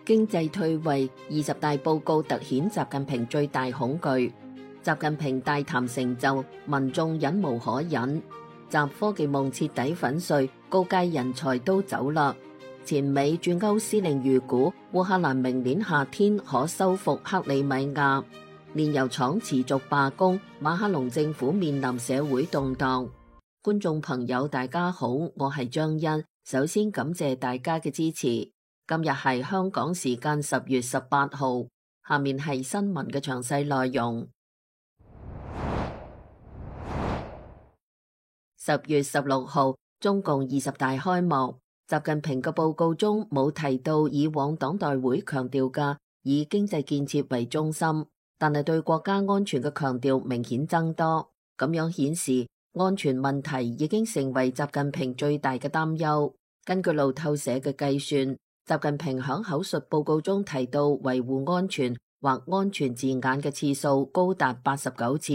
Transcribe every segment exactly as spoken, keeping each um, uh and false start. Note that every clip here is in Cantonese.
經濟退位，二十大報告突顯習近平最大恐懼。習近平大談成就，民眾忍無可忍。習科技夢徹底粉碎，高階人才都走啦。前美駐歐司令預估，烏克蘭明年夏天可收復克里米亞。煉油廠持續罷工，馬克龍政府面臨社會動盪。觀眾朋友，大家好，我係張欣。首先感謝大家嘅支持。今日係香港時間十月十八號，下面係新聞嘅詳細內容。十月十六號，中共二十大開幕。習近平嘅報告中冇提到以往黨代會強調嘅以經濟建設為中心，但係對國家安全嘅強調明顯增多。咁樣顯示安全問題已經成為習近平最大嘅擔憂。根據路透社嘅計算，習近平響口述報告中提到維護安全或安全字眼嘅次數高達八十九次，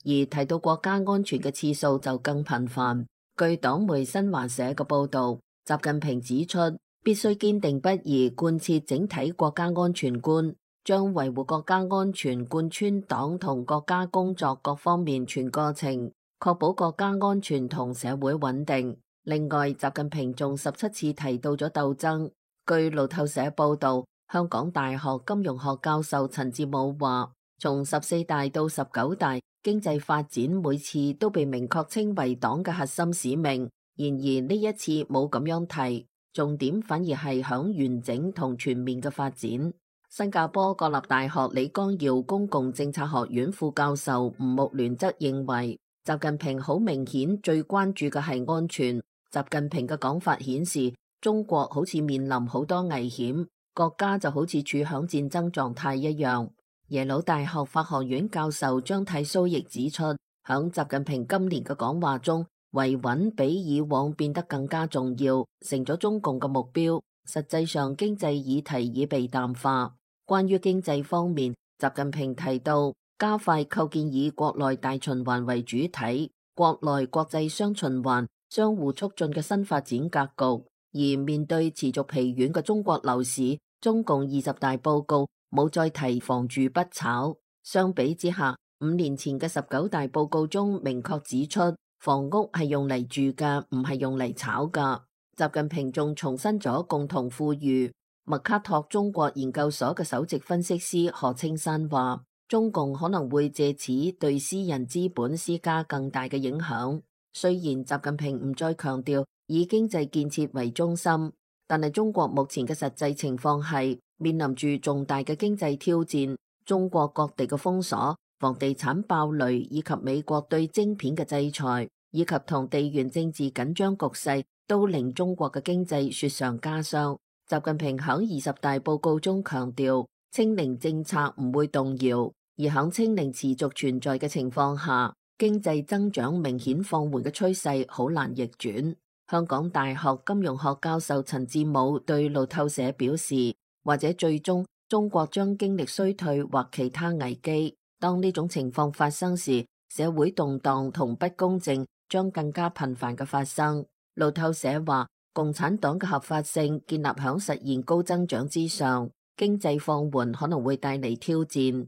而提到國家安全嘅次數就更頻繁。據黨媒新華社嘅報道，習近平指出，必須堅定不移貫徹整體國家安全觀，將維護國家安全貫穿黨同國家工作各方面全過程，確保國家安全同社會穩定。另外，習近平仲十七次提到咗鬥爭。據路透社報道，香港大學金融學教授陳志武話，從十四大到十九大，經濟發展每次都被明確稱為黨嘅核心使命。然而呢一次冇咁樣提，重點反而係響完整同全面嘅發展。新加坡國立大學李光耀公共政策學院副教授吳木聯則認為，習近平好明顯最關注嘅係安全。習近平嘅講法顯示，中國好似面臨好多危險，國家就好似處響戰爭狀態一樣。耶魯大學法學院教授張太蘇亦指出，響習近平今年嘅講話中，維穩比以往變得更加重要，成咗中共嘅目標。實際上，經濟議題已被淡化。關於經濟方面，習近平提到加快構建以國內大循環為主體、國內國際雙循環相互促進嘅新發展格局。而面對持續疲軟嘅中國樓市，中共二十大報告冇再提房住不炒。相比之下，五年前嘅十九大報告中明確指出，房屋係用嚟住嘅，唔係用嚟炒㗎。習近平仲重申咗共同富裕。麥卡托中國研究所嘅首席分析師何青山話，中共可能會借此對私人資本施加更大嘅影響。雖然習近平唔再強調以經濟建設為中心，但係中國目前嘅實際情況係面臨住重大嘅經濟挑戰。中國各地嘅封鎖、房地產爆雷，以及美國對晶片嘅制裁，以及同地緣政治緊張局勢，都令中國嘅經濟雪上加霜。習近平響二十大報告中強調，清零政策唔會動搖，而響清零持續存在嘅情況下，經濟增長明顯放緩嘅趨勢好難逆轉。香港大學金融學教授陳志武對路透社表示，或者最終中國將經歷衰退或其他危機。當呢種情況發生時，社會動盪同不公正將更加頻繁嘅發生。路透社話，共產黨嘅合法性建立響實現高增長之上，經濟放緩可能會帶嚟挑戰。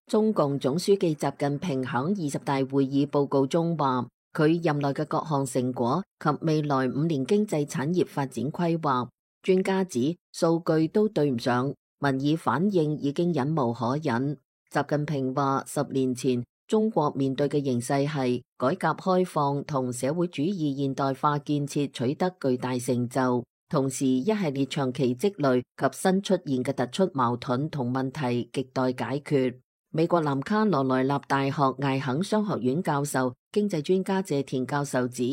中共總書記習近平響二十大會議報告中話，佢任內嘅各項成果及未來五年經濟產業發展規劃，專家指數據都對唔上，民意反應已經忍無可忍。習近平話，十年前中國面對嘅形勢係改革開放同社會主義現代化建設取得巨大成就，同時一系列長期積累及新出現嘅突出矛盾同問題亟待解決。美國南卡羅來納大學艾肯商學院教授、經濟專家謝田教授指，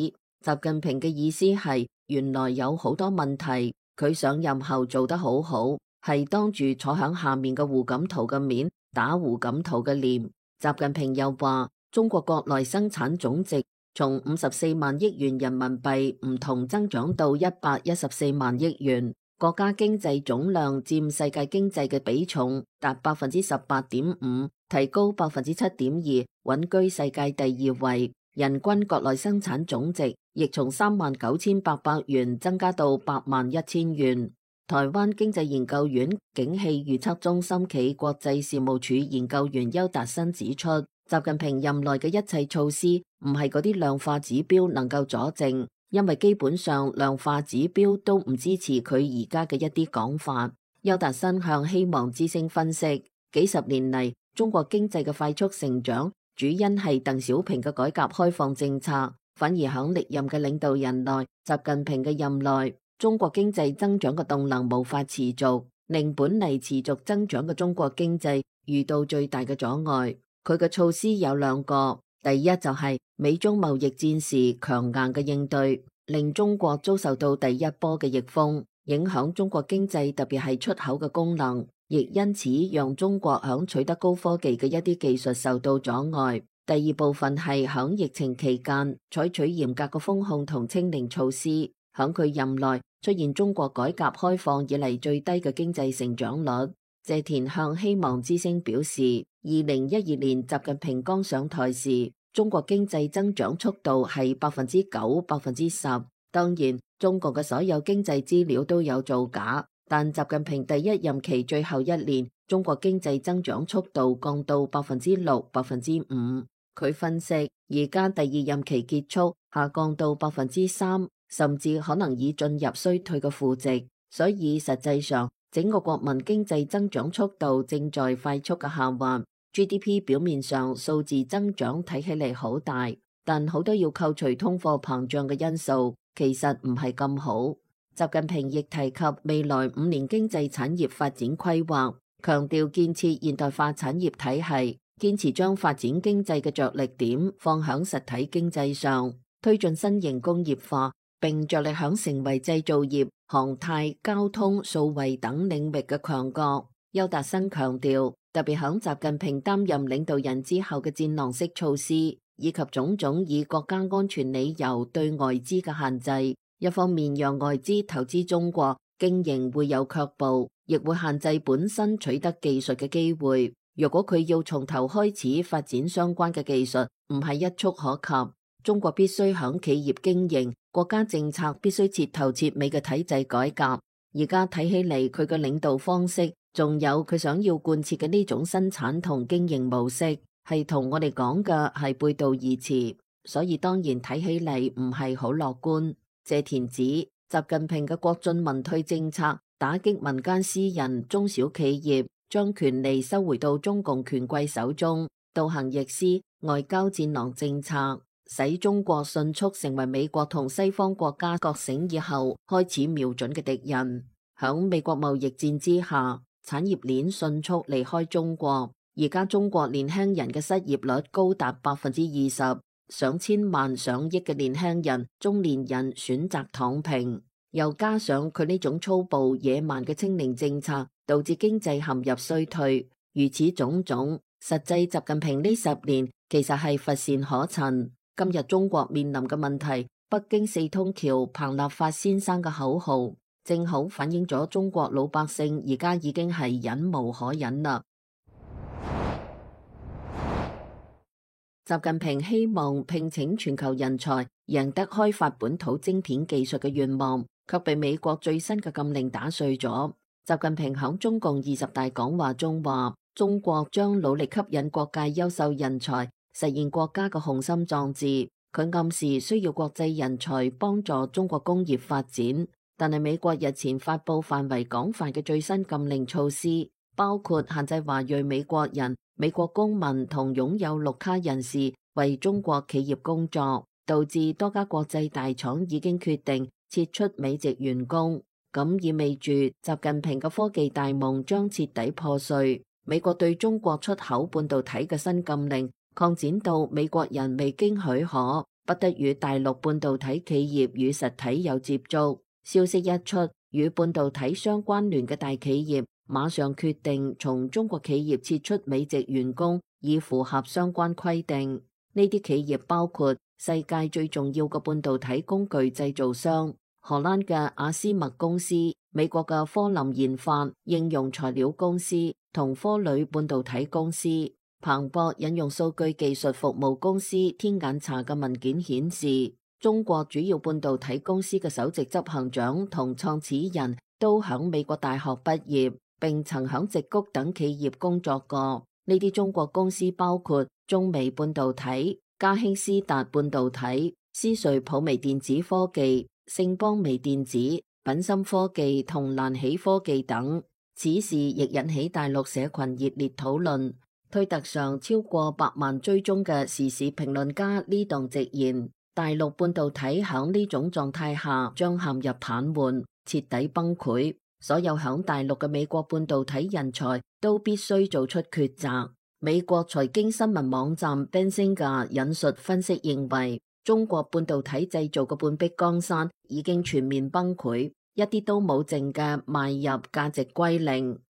習近平嘅意思係原來有好多問題，佢上任後做得好好，係當住坐響下面嘅胡錦濤嘅面打胡錦濤嘅臉。習近平又話，中國國內生產總值從五十四萬億元人民幣唔同增長到一百一十四萬億元。國家經濟總量佔世界經濟嘅比重達百分之十八點五，提高百分之七點二，穩居世界第二位。人均國內生產總值亦從三萬九千八百元增加到八萬一千元。台灣經濟研究院景氣預測中心暨國際事務處研究員邱達新指出，習近平任內嘅一切措施唔係嗰啲量化指標能夠佐證，因為基本上量化指標都唔支持佢而家嘅一啲講法。邱達新向希望之聲分析，幾十年嚟中國經濟嘅快速成長，主因係鄧小平嘅改革開放政策，反而響歷任嘅領導人內，習近平嘅任內，中國經濟增長嘅動能無法持續，令本嚟持續增長嘅中國經濟遇到最大嘅阻礙。佢嘅措施有兩個，第一就係美中貿易戰時強硬嘅應對，令中國遭受到第一波嘅逆風，影響中國經濟，特別係出口嘅功能，亦因此讓中國響取得高科技嘅一啲技術受到阻礙。第二部分係響疫情期間採取嚴格嘅封控同清零措施，響佢任內出現中國改革開放以嚟最低嘅經濟成長率。謝田向希望之聲表示，二零一二年習近平剛上台時，中國經濟增長速度係百分之九、百分之十。當然，中國嘅所有經濟資料都有造假，但習近平第一任期最後一年，中國經濟增長速度降到百分之六、百分之五。佢分析，而家第二任期結束，下降到百分之三，甚至可能已進入衰退嘅負值。所以實際上，整個國民經濟增長速度正在快速嘅下滑。G D P 表面上數字增長睇起嚟好大，但好多要扣除通貨膨脹嘅因素，其實唔係咁好。習近平亦提及未來五年經濟產業發展規劃，強調建設現代化產業體系，堅持將發展經濟嘅着力點放響實體經濟上，推進新型工業化，並着力響成為製造業、航太、交通、數位等領域嘅強國。邱達新強調，特別響習近平擔任領導人之後嘅戰狼式措施，以及種種以國家安全理由對外資嘅限制，一方面讓外資投資中國，經營會有卻步，亦會限制本身取得技術嘅機會。如果佢要從頭開始發展相關嘅技術，唔係一觸可及。中國必須響企業經營、國家政策必須徹頭徹尾嘅體制改革。而家睇起嚟，佢嘅領導方式，仲有佢想要貫徹嘅呢種生產同經營模式，係同我哋講嘅係背道而馳，所以當然睇起嚟唔係好樂觀。謝田指，習近平嘅國進民退政策打擊民間私人、中小企業，將權力收回到中共權貴手中，倒行逆施外交戰狼政策，使中國迅速成為美國同西方國家覺醒以後開始瞄準嘅敵人。響美國貿易戰之下，產業鏈迅速離開中國。而家中國年輕人嘅失業率高達百分之二十，上千萬上億嘅年輕人、中年人選擇躺平，又加上佢呢種粗暴野蠻嘅清零政策，導致經濟陷入衰退。如此種種，實際習近平呢十年其實係乏善可陳。今日中國面臨嘅問題，北京四通橋彭立發先生嘅口號，正好反映咗中國老百姓而家已經係忍無可忍啦。習近平希望聘請全球人才，贏得開發本土晶片技術嘅願望，卻被美國最新嘅禁令打碎咗。習近平響中共二十大講話中話，中國將努力吸引各界優秀人才，實現國家嘅雄心壯志。佢暗示需要國際人才幫助中國工業發展。但係美國日前發佈範圍廣泛嘅最新禁令措施，包括限制華裔美國人、美國公民同擁有綠卡人士為中國企業工作，導致多家國際大廠已經決定撤出美籍員工。咁意味住習近平嘅科技大夢將徹底破碎。美國對中國出口半導體嘅新禁令擴展到美國人未經許可不得與大陸半導體企業與實體有接觸。消息一出，與半導體相關聯嘅大企業馬上決定從中國企業撤出美籍員工，以符合相關規定。呢啲企業包括世界最重要嘅半導體工具製造商荷蘭嘅阿斯麥公司、美國嘅科林研發應用材料公司同科磊半導體公司。彭博引用數據技術服務公司天眼查嘅文件顯示，中國主要半導體公司嘅首席執行長同創始人都響美國大學畢業，並曾響矽谷等企業工作過。呢啲中國公司包括中微半導體、嘉興斯達半導體、思瑞普微電子科技、盛邦微電子、品芯科技同瀾喜科技等。此事亦引起大陸社群熱烈討論。推特上超過百萬追蹤嘅時事評論家呢檔直言，大陸半導體響呢種狀態下將陷入癱瘓，徹底崩潰。所有響大陸嘅美國半導體人才都必須做出抉擇。美國財經新聞網站 Benzinga 引述分析認為，中國半導體製造嘅半壁江山已經全面崩潰，一啲都冇剩嘅賣入價值歸零。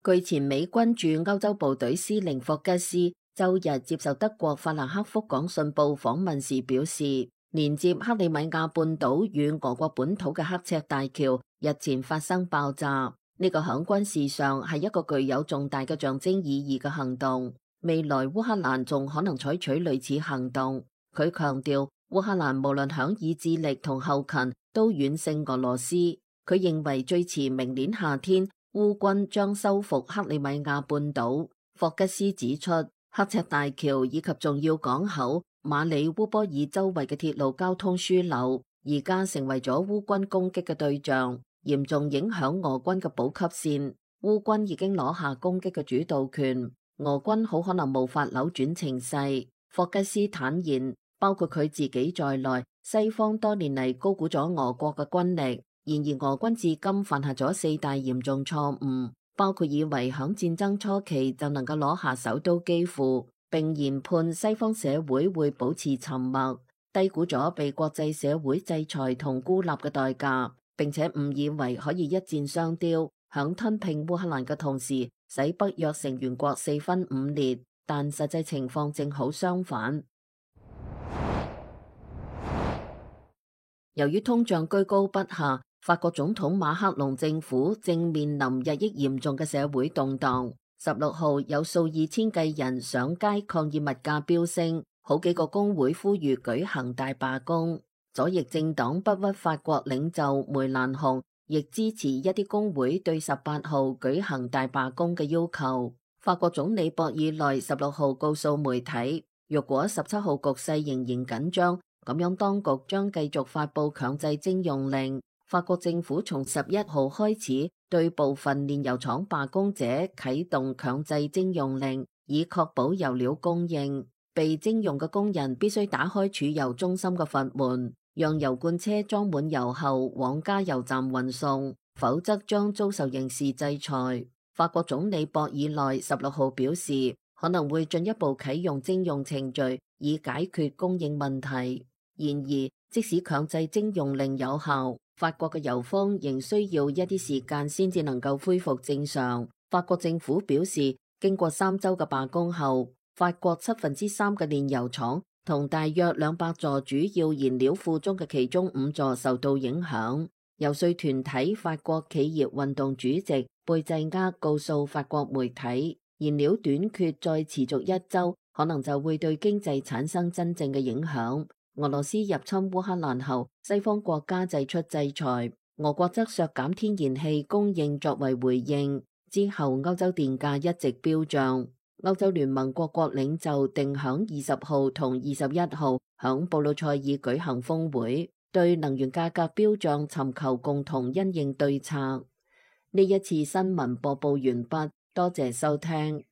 據前美軍駐歐洲部隊司令霍吉斯周日接受德國法蘭克福講信報訪問時表示，連接克里米亞半島與俄國本土嘅刻赤大橋日前發生爆炸，呢個響軍事上係一個具有重大嘅象徵意義嘅行動。未來烏克蘭仲可能採取類似行動。佢強調，烏克蘭無論響意志力同後勤都遠勝俄羅斯。佢認為最遲明年夏天，烏軍將收復克里米亞半島。霍吉斯指出，刻赤大橋以及重要港口馬里烏波爾周圍嘅鐵路交通樞紐，而家成為咗烏軍攻擊嘅對象，嚴重影響俄軍嘅補給線。烏軍已經攞下攻擊嘅主導權，俄軍好可能無法扭轉情勢。霍吉斯坦言，包括佢自己在內，西方多年嚟高估咗俄國嘅軍力。然而俄軍至今犯下咗四大嚴重錯誤，包括以為響戰爭初期就能夠攞下首都基輔，並研判西方社會會保持沉默，低估咗被國際社會制裁同孤立嘅代價，並且誤以為可以一箭雙雕，響吞併烏克蘭嘅同時使北約成員國四分五裂，但實際情況正好相反。由於通脹居高不下，法國總統馬克龍政府正面臨日益嚴重嘅社會動盪。十六號有數以千計人上街抗議物價飆升，好幾個工會呼籲舉行大罷工。左翼政黨不屈法國領袖梅蘭雄亦支持一啲工會對十八號舉行大罷工嘅要求。法國總理博爾內十六號告訴媒體，若果十七號局勢仍然緊張，咁樣當局將繼續發佈強制徵用令。法國政府從十一號開始對部分煉油廠罷工者啟動強制徵用令，以確保油料供應。被徵用嘅工人必須打開儲油中心嘅閥門，讓油罐車裝滿油後往加油站運送，否則將遭受刑事制裁。法國總理博爾內十六號表示，可能會進一步啟用徵用程序，以解決供應問題。然而，即使強制徵用令有效，法國嘅油荒仍需要一啲時間先至能夠恢復正常。法國政府表示，經過三週嘅罷工後，法國七分之三嘅煉油廠同大約兩百座主要燃料庫中嘅其中五座受到影響。游說團體法國企業運動主席貝濟厄告訴法國媒體，燃料短缺再持續一週，可能就會對經濟產生真正嘅影響。俄羅斯入侵烏克蘭後，西方國家祭出制裁，俄國則削減天然氣供應作為回應。之後，歐洲電價一直飆漲。歐洲聯盟各國領袖定響二十號同二十一號響布魯塞爾舉行峰會，對能源價格飆漲尋求共同因應對策。呢一次新聞播報完畢，多謝收聽。